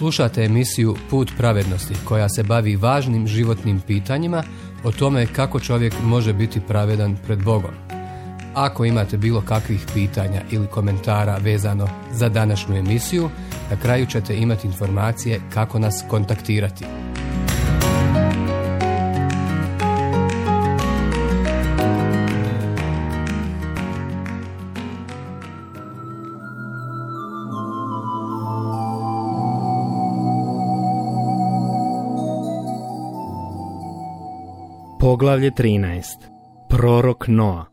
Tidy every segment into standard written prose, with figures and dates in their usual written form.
Slušate emisiju Put pravednosti koja se bavi važnim životnim pitanjima o tome kako čovjek može biti pravedan pred Bogom. Ako imate bilo kakvih pitanja ili komentara vezano za današnju emisiju, na kraju ćete imati informacije kako nas kontaktirati. Poglavlje 13. Prorok Noa.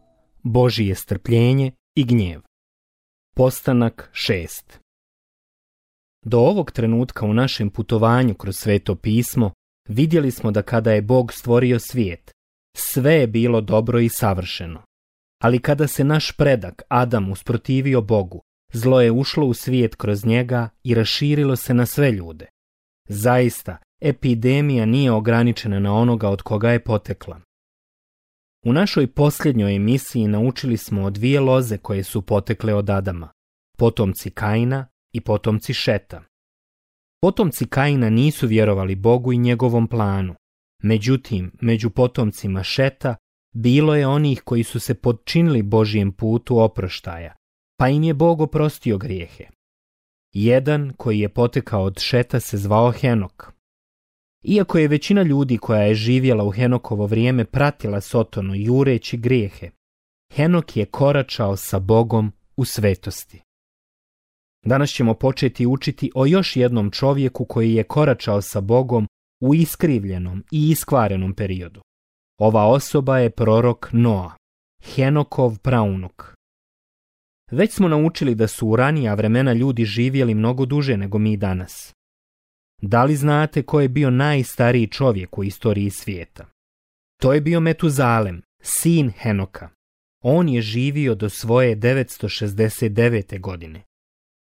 Božije strpljenje i gnjev. Postanak 6. Do ovog trenutka u našem putovanju kroz Sveto pismo vidjeli smo da kada je Bog stvorio svijet, sve je bilo dobro i savršeno. Ali kada se naš predak Adam usprotivio Bogu, zlo je ušlo u svijet kroz njega i raširilo se na sve ljude. Zaista, epidemija nije ograničena na onoga od koga je potekla. U našoj posljednjoj emisiji naučili smo o dvije loze koje su potekle od Adama, potomci Kaina i potomci Šeta. Potomci Kaina nisu vjerovali Bogu i njegovom planu. Međutim, među potomcima Šeta bilo je onih koji su se podčinili Božijem putu oproštaja, pa im je Bog oprostio grijehe. Jedan koji je potekao od Šeta se zvao Henok. Iako je većina ljudi koja je živjela u Henokovo vrijeme pratila Sotonu jureći grijehe, Henok je koračao sa Bogom u svetosti. Danas ćemo početi učiti o još jednom čovjeku koji je koračao sa Bogom u iskrivljenom i iskvarenom periodu. Ova osoba je prorok Noa, Henokov praunuk. Već smo naučili da su u ranija vremena ljudi živjeli mnogo duže nego mi danas. Da li znate ko je bio najstariji čovjek u istoriji svijeta? To je bio Metuzalem, sin Henoka. On je živio do svoje 969. godine.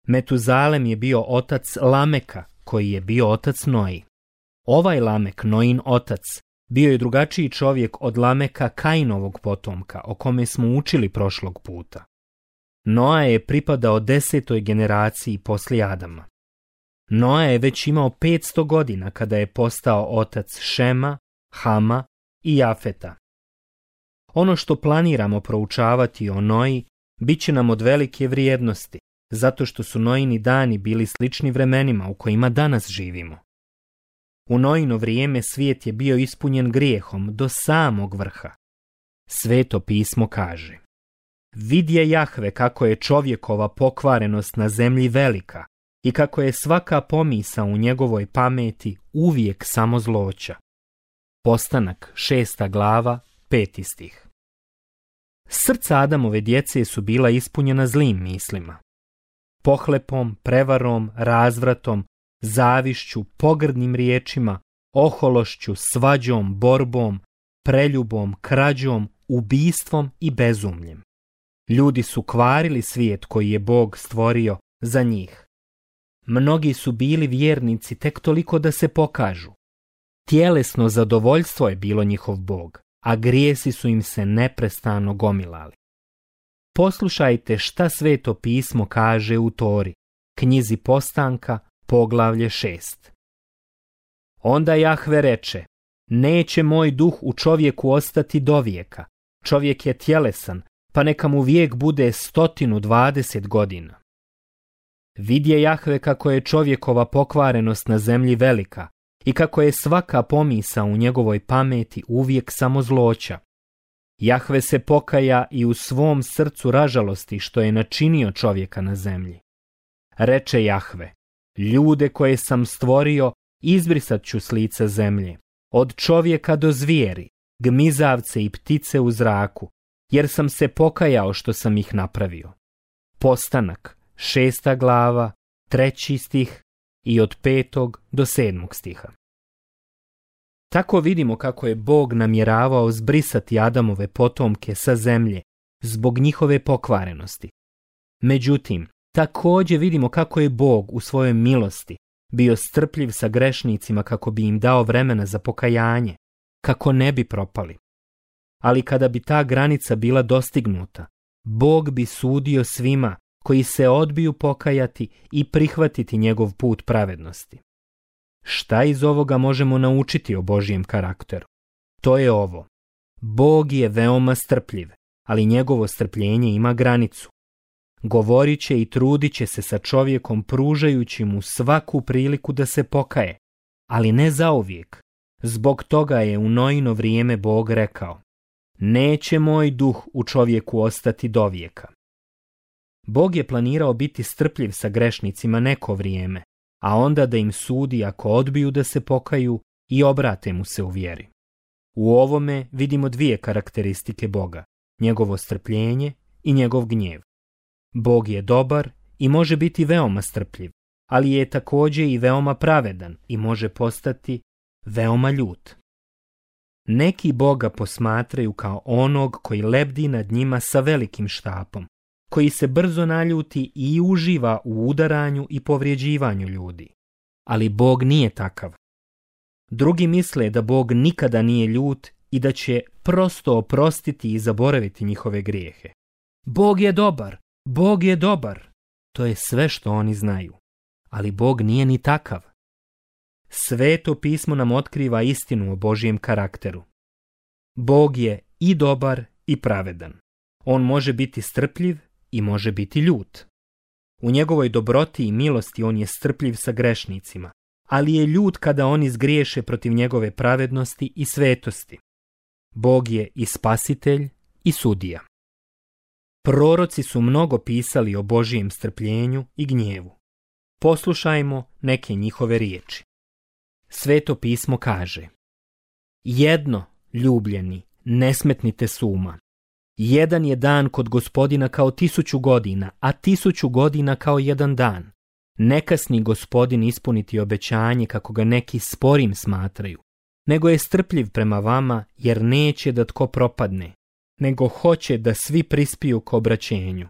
Metuzalem je bio otac Lameka, koji je bio otac Noji. Ovaj Lamek, Noin otac, bio je drugačiji čovjek od Lameka, Kainovog potomka, o kome smo učili prošlog puta. Noa je pripadao 10. generaciji poslije Adama. Noa je već imao 500 godina kada je postao otac Šema, Hama i Jafeta. Ono što planiramo proučavati o Noji bit će nam od velike vrijednosti, zato što su Noini dani bili slični vremenima u kojima danas živimo. U Noino vrijeme svijet je bio ispunjen grijehom do samog vrha. Sveto pismo kaže: Vidje Jahve kako je čovjekova pokvarenost na zemlji velika i kako je svaka pomisa u njegovoj pameti uvijek samo zloća. Postanak 6. glava 5. stih. Srca Adamove djece su bila ispunjena zlim mislima. Pohlepom, prevarom, razvratom, zavišću, pogrdnim riječima, ohološću, svađom, borbom, preljubom, krađom, ubistvom i bezumljem. Ljudi su kvarili svijet koji je Bog stvorio za njih. Mnogi su bili vjernici tek toliko da se pokažu. Tjelesno zadovoljstvo je bilo njihov Bog, a grijesi su im se neprestano gomilali. Poslušajte šta Sveto pismo kaže u Tori, knjizi Postanka, poglavlje 6. Onda Jahve reče: Neće moj duh u čovjeku ostati dovijeka. Čovjek je tjelesan, pa neka mu vijek bude 120 godina. Vidje Jahve kako je čovjekova pokvarenost na zemlji velika i kako je svaka pomisa u njegovoj pameti uvijek samo zloća. Jahve se pokaja i u svom srcu ražalosti što je načinio čovjeka na zemlji. Reče Jahve: Ljude koje sam stvorio izbrisat ću s lica zemlje, od čovjeka do zvijeri, gmizavce i ptice u zraku, jer sam se pokajao što sam ih napravio. Postanak 6. glava 3. stih i od 5. do 7. stiha. Tako vidimo kako je Bog namjeravao zbrisati Adamove potomke sa zemlje zbog njihove pokvarenosti. Međutim, također vidimo kako je Bog u svojoj milosti bio strpljiv sa grešnicima kako bi im dao vremena za pokajanje, kako ne bi propali. Ali kada bi ta granica bila dostignuta, Bog bi sudio svima koji se odbiju pokajati i prihvatiti njegov put pravednosti. Šta iz ovoga možemo naučiti o Božjem karakteru? To je ovo. Bog je veoma strpljiv, ali njegovo strpljenje ima granicu. Govorit će i trudit će se sa čovjekom pružajući mu svaku priliku da se pokaje, ali ne zauvijek. Zbog toga je u Noino vrijeme Bog rekao: neće moj duh u čovjeku ostati dovijeka. Bog je planirao biti strpljiv sa grešnicima neko vrijeme, a onda da im sudi ako odbiju da se pokaju i obrate mu se u vjeri. U ovome vidimo dvije karakteristike Boga, njegovo strpljenje i njegov gnjev. Bog je dobar i može biti veoma strpljiv, ali je također i veoma pravedan i može postati veoma ljut. Neki Boga posmatraju kao onog koji lebdi nad njima sa velikim štapom, koji se brzo naljuti i uživa u udaranju i povrijeđivanju ljudi. Ali Bog nije takav. Drugi misle da Bog nikada nije ljut i da će prosto oprostiti i zaboraviti njihove grijehe. Bog je dobar, Bog je dobar. To je sve što oni znaju. Ali Bog nije ni takav. Sveto pismo nam otkriva istinu o Božjem karakteru. Bog je i dobar i pravedan. On može biti strpljiv i može biti ljut. U njegovoj dobroti i milosti on je strpljiv sa grešnicima, ali je ljut kada oni zgriješe protiv njegove pravednosti i svetosti. Bog je i spasitelj i sudija. Proroci su mnogo pisali o Božijem strpljenju i gnjevu. Poslušajmo neke njihove riječi. Sveto pismo kaže: jedno, ljubljeni, ne smetnite s uma. Jedan je dan kod Gospodina kao 1000 godina, a 1000 godina kao jedan dan. Ne kasni Gospodin ispuniti obećanje kako ga neki sporim smatraju, nego je strpljiv prema vama, jer neće da tko propadne, nego hoće da svi prispiju k obraćenju.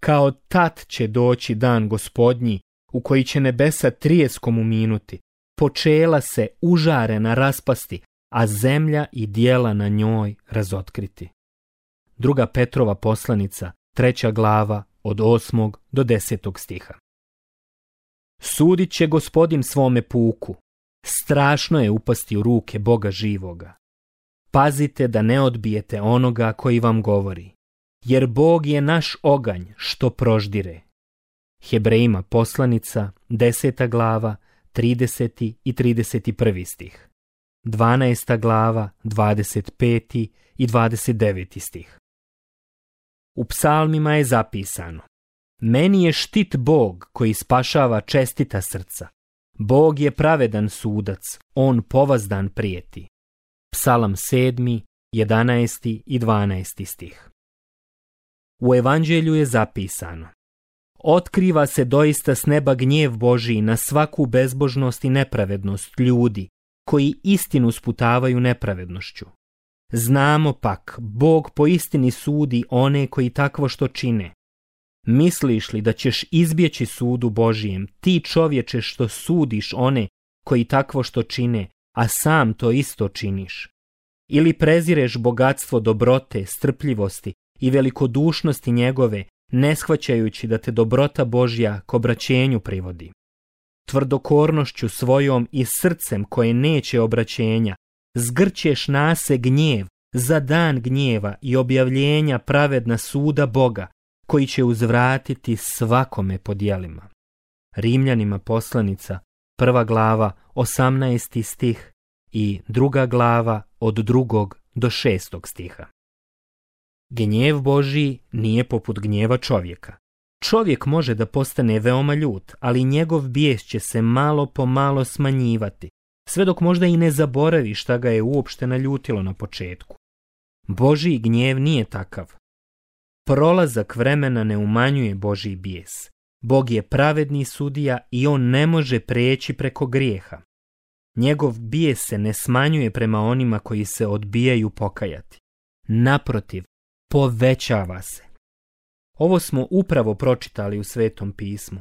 Kao tat će doći dan Gospodnji, u koji će nebesa trijeskom uminuti, počela se užarena raspasti, a zemlja i dijela na njoj razotkriti. 2. Petrova poslanica, 3. glava, od 8. do 10. stiha. Sudit će Gospodin svome puku. Strašno je upasti u ruke Boga živoga. Pazite da ne odbijete onoga koji vam govori, jer Bog je naš oganj što proždire. Hebrejima poslanica, 10. glava, 30. i 31. stih. 12. glava, 25. i 29. stih. U psalmima je zapisano: meni je štit Bog koji spašava čestita srca. Bog je pravedan sudac, on povazdan prijeti. Psalam 7., 11. i 12. stih. U Evanđelju je zapisano: otkriva se doista s neba gnjev Božiji na svaku bezbožnost i nepravednost ljudi, koji istinu sputavaju nepravednošću. Znamo pak, Bog po istini sudi one koji takvo što čine. Misliš li da ćeš izbjeći sudu Božijem, ti čovječe što sudiš one koji takvo što čine, a sam to isto činiš? Ili prezireš bogatstvo dobrote, strpljivosti i velikodušnosti njegove, ne shvaćajući da te dobrota Božja k obraćenju privodi? Tvrdokornošću svojom i srcem koje neće obraćenja, zgrćeš nase gnjev za dan gnjeva i objavljenja pravedna suda Boga, koji će uzvratiti svakome po djelima. Rimljanima poslanica, 1. glava, 18. stih i 2. glava od 2. do 6. stiha. Gnjev Božji nije poput gnjeva čovjeka. Čovjek može da postane veoma ljut, ali njegov bijes će se malo po malo smanjivati, sve dok možda i ne zaboravi šta ga je uopšte naljutilo na početku. Božji gnjev nije takav. Prolazak vremena ne umanjuje Božji bijes. Bog je pravedni sudija i on ne može preći preko grijeha. Njegov bijes se ne smanjuje prema onima koji se odbijaju pokajati. Naprotiv, povećava se. Ovo smo upravo pročitali u Svetom pismu.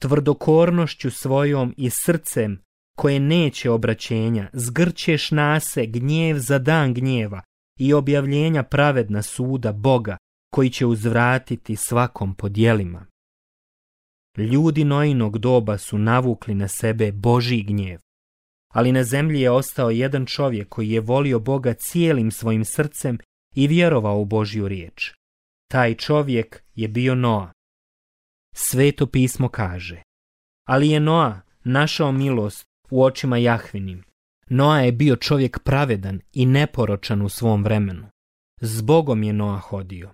Tvrdokornošću svojom i srcem koje neće obraćenja, zgrćeš nase gnjev za dan gnjeva i objavljenja pravedna suda Boga, koji će uzvratiti svakom po djelima. Ljudi Noinog doba su navukli na sebe Božji gnjev, ali na zemlji je ostao jedan čovjek koji je volio Boga cijelim svojim srcem i vjerovao u Božju riječ. Taj čovjek je bio Noa. Sveto pismo kaže: ali je Noa našao milost u očima Jahvinim. Noa je bio čovjek pravedan i neporočan u svom vremenu. S Bogom je Noa hodio.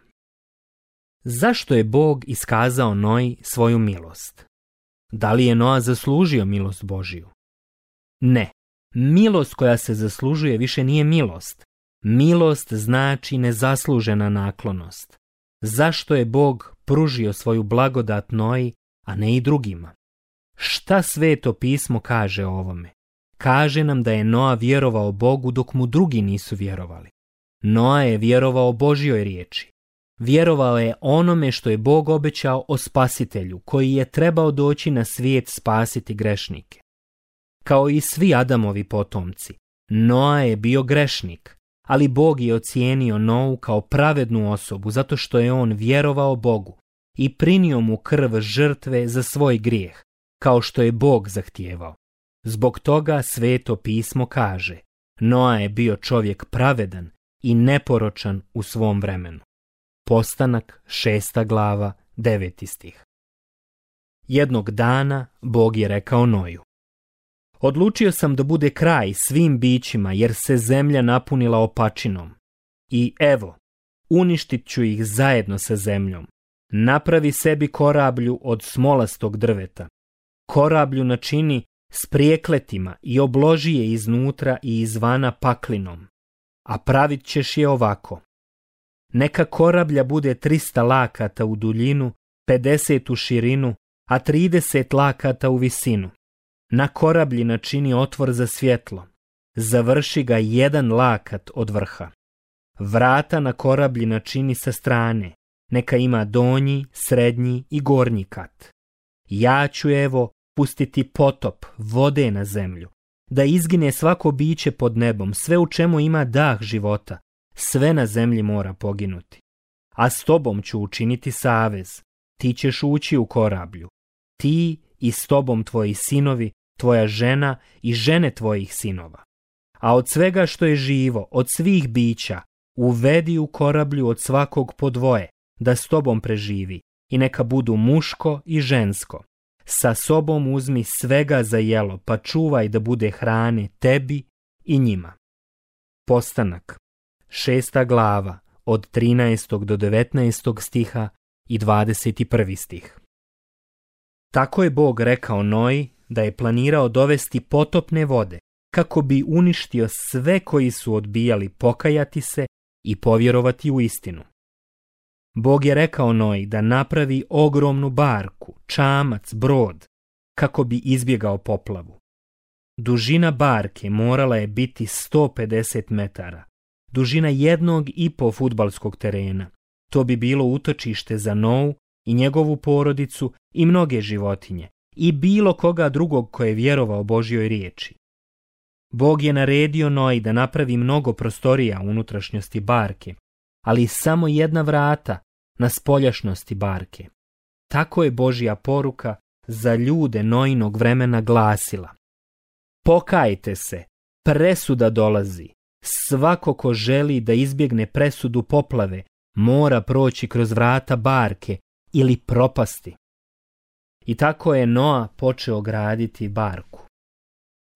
Zašto je Bog iskazao Noji svoju milost? Da li je Noa zaslužio milost Božju? Ne. Milost koja se zaslužuje više nije milost. Milost znači nezaslužena naklonost. Zašto je Bog pružio svoju blagodat Noji, a ne i drugima? Šta Sveto pismo kaže o ovome? Kaže nam da je Noa vjerovao Bogu dok mu drugi nisu vjerovali. Noa je vjerovao Božjoj riječi. Vjerovao je onome što je Bog obećao o Spasitelju, koji je trebao doći na svijet spasiti grešnike. Kao i svi Adamovi potomci, Noa je bio grešnik, ali Bog je ocijenio Nou kao pravednu osobu zato što je on vjerovao Bogu i prinio mu krv žrtve za svoj grijeh, kao što je Bog zahtijevao. Zbog toga Sveto pismo kaže: Noa je bio čovjek pravedan i neporočan u svom vremenu. Postanak 6. glava 9. stih. Jednog dana Bog je rekao Noju: odlučio sam da bude kraj svim bićima jer se zemlja napunila opačinom. I evo, uništit ću ih zajedno sa zemljom. Napravi sebi korablju od smolastog drveta. Korablju načini s prijekletima i obloži je iznutra i izvana paklinom. A pravit ćeš je ovako. Neka korablja bude 300 lakata u duljinu, 50 u širinu, a 30 lakata u visinu. Na korablji načini otvor za svjetlo. Završi ga 1 lakat od vrha. Vrata na korablji načini sa strane. Neka ima donji, srednji i gornji kat. Ja ću evo pustiti potop vode na zemlju, da izgine svako biće pod nebom, sve u čemu ima dah života, sve na zemlji mora poginuti. A s tobom ću učiniti savez, ti ćeš ući u korablju, ti i s tobom tvoji sinovi, tvoja žena i žene tvojih sinova. A od svega što je živo, od svih bića, uvedi u korablju od svakog po 2, da s tobom preživi, i neka budu muško i žensko. Sa sobom uzmi svega za jelo, pa čuvaj da bude hrane tebi i njima. Postanak 6. glava od 13. do 19. stiha i 21. stih. Tako je Bog rekao Noji da je planirao dovesti potopne vode kako bi uništio sve koji su odbijali pokajati se i povjerovati u istinu. Bog je rekao Noji da napravi ogromnu barku, čamac, brod, kako bi izbjegao poplavu. Dužina barke morala je biti 150 metara, dužina 1,5 fudbalskog terena. To bi bilo utočište za Nou i njegovu porodicu i mnoge životinje i bilo koga drugog ko je vjerovao Božjoj riječi. Bog je naredio Noji da napravi mnogo prostorija u unutrašnjosti barke, ali samo 1 vrata na spoljašnosti barke. Tako je Božja poruka za ljude Nojinog vremena glasila: pokajte se, presuda dolazi. Svako ko želi da izbjegne presudu poplave mora proći kroz vrata barke ili propasti. I tako je Noa počeo graditi barku.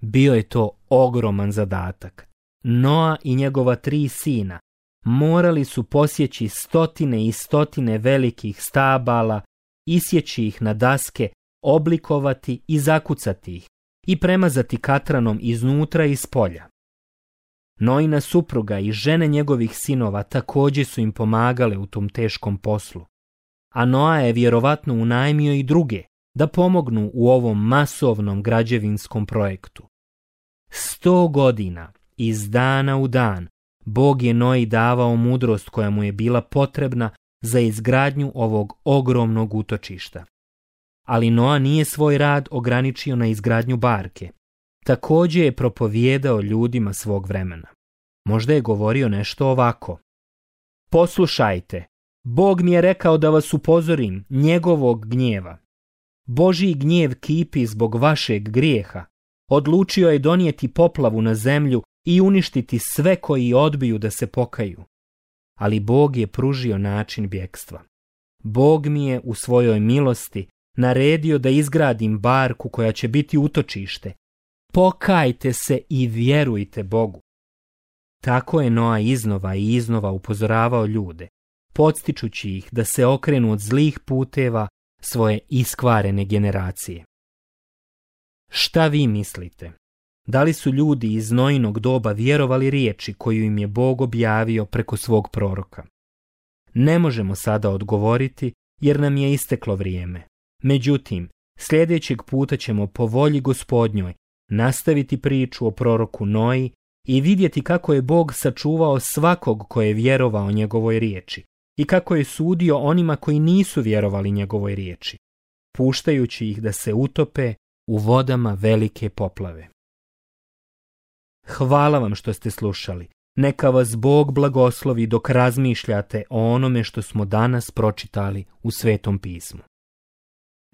Bio je to ogroman zadatak. Noa i njegova 3 sina morali su posjeći stotine i stotine velikih stabala, isjeći ih na daske, oblikovati i zakucati ih i premazati katranom iznutra i spolja. Noina supruga i žene njegovih sinova također su im pomagale u tom teškom poslu, a Noa je vjerovatno unajmio i druge da pomognu u ovom masovnom građevinskom projektu. 100 godina, iz dana u dan, Bog je Noji davao mudrost koja mu je bila potrebna za izgradnju ovog ogromnog utočišta. Ali Noa nije svoj rad ograničio na izgradnju barke. Također je propovijedao ljudima svog vremena. Možda je govorio nešto ovako: poslušajte, Bog mi je rekao da vas upozorim njegovog gnjeva. Božji gnjev kipi zbog vašeg grijeha. Odlučio je donijeti poplavu na zemlju i uništiti sve koji odbiju da se pokaju. Ali Bog je pružio način bjegstva. Bog mi je u svojoj milosti naredio da izgradim barku koja će biti utočište. Pokajte se i vjerujte Bogu. Tako je Noa iznova i iznova upozoravao ljude, podstičući ih da se okrenu od zlih puteva svoje iskvarene generacije. Šta vi mislite? Da li su ljudi iz Noinog doba vjerovali riječi koju im je Bog objavio preko svog proroka? Ne možemo sada odgovoriti jer nam je isteklo vrijeme. Međutim, sljedećeg puta ćemo po volji Gospodnjoj nastaviti priču o proroku Noji i vidjeti kako je Bog sačuvao svakog ko je vjerovao njegovoj riječi i kako je sudio onima koji nisu vjerovali njegovoj riječi, puštajući ih da se utope u vodama velike poplave. Hvala vam što ste slušali. Neka vas Bog blagoslovi dok razmišljate o onome što smo danas pročitali u Svetom pismu.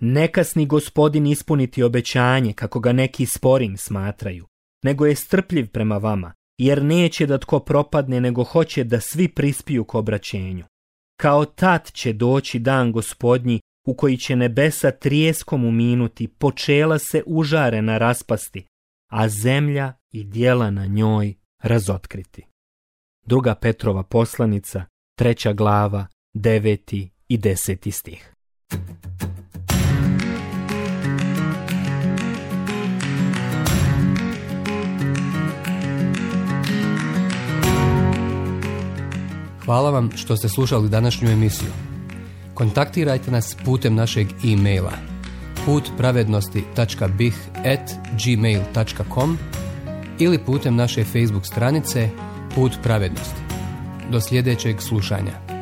Ne kasni Gospodin ispuniti obećanje kako ga neki sporim smatraju, nego je strpljiv prema vama, jer neće da tko propadne, nego hoće da svi prispiju k obraćenju. Kao tad će doći dan Gospodnji u koji će nebesa trijeskom uminuti, počela se užarena raspasti, a zemlja i djela na njoj razotkriti. 2. Petrova poslanica, 3. glava, 9. i 10. stih. Hvala vam što ste slušali današnju emisiju. Kontaktirajte nas putem našeg e-maila putpravednosti.bih@gmail.com ili putem naše Facebook stranice Put pravednosti. Do sljedećeg slušanja.